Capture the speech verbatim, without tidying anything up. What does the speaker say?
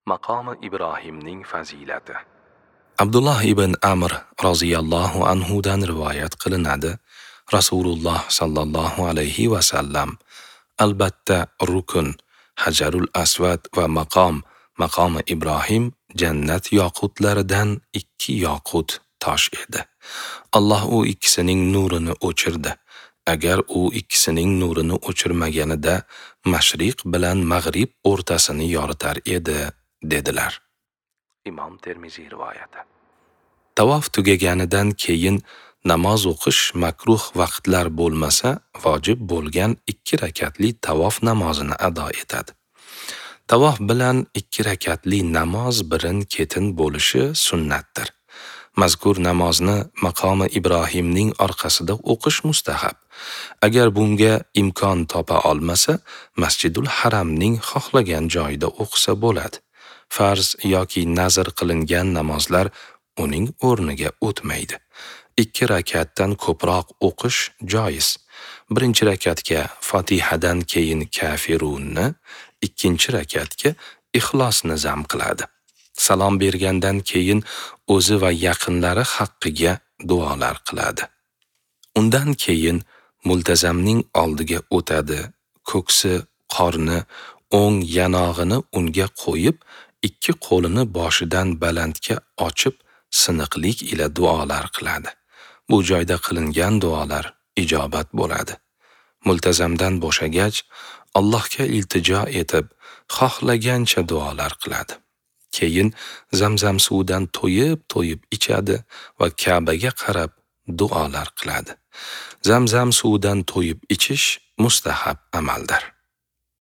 Maqomi Ibrohimning fazilati. Abdulloh ibn Amr roziyallohu anhu dan rivoyat qilinadi. Rasululloh sallallohu alayhi va sallam: albatta rukun, Hajarul Asvad va maqom, maqomi Ibrohim jannat yoqutlaridan ikki yoqut tosh edi. Alloh u ikkisining nurini o'chirdi. Agar u ikkisining nurini o'chirmaganida mashriq bilan mag'rib o'rtasini yoritar edi, dedilar. Imom Termiziy rivoyati. Tavof tugaganidan keyin namoz o'qish makruh vaqtlar bo'lmasa, vojib bo'lgan ikki rakatli tavof namozini ado etadi. Tavof bilan ikki rakatli namoz birin-ketin bo'lishi sunnatdir. Mazkur namozni maqomi Ibrohimning orqasida o'qish mustahab. Agar bunga imkon topa olmasa, Masjidul Haramning xohlagan joyida o'qisa bo'ladi. Farz yoki nazr qilingan namozlar uning o'rniga o'tmaydi. Ikki rakatdan ko'proq o'qish joiz. Birinchi rakatga Fotihadan keyin Kafirunni, ikkinchi rakatga Ixlosni zam qiladi. Salom bergandan keyin o'zi va yaqinlari haqqiga duolar qiladi. Undan keyin multazamning oldiga o'tadi, ko'ksi, qorni, o'ng yanog'ini unga qo'yib, ikki qo'lini boshidan balandga ochib, siniqlik ila duolar qiladi. Bu joyda qilingan duolar ijobat bo'ladi. Multazamdan bo'shagach, Allohga iltijo etib, xohlagancha duolar qiladi. Keyin Zamzam suvidan to'yib-to'yib ichadi va Ka'baga qarab duolar qiladi. Zamzam suvidan to'yib ichish mustahab amaldir.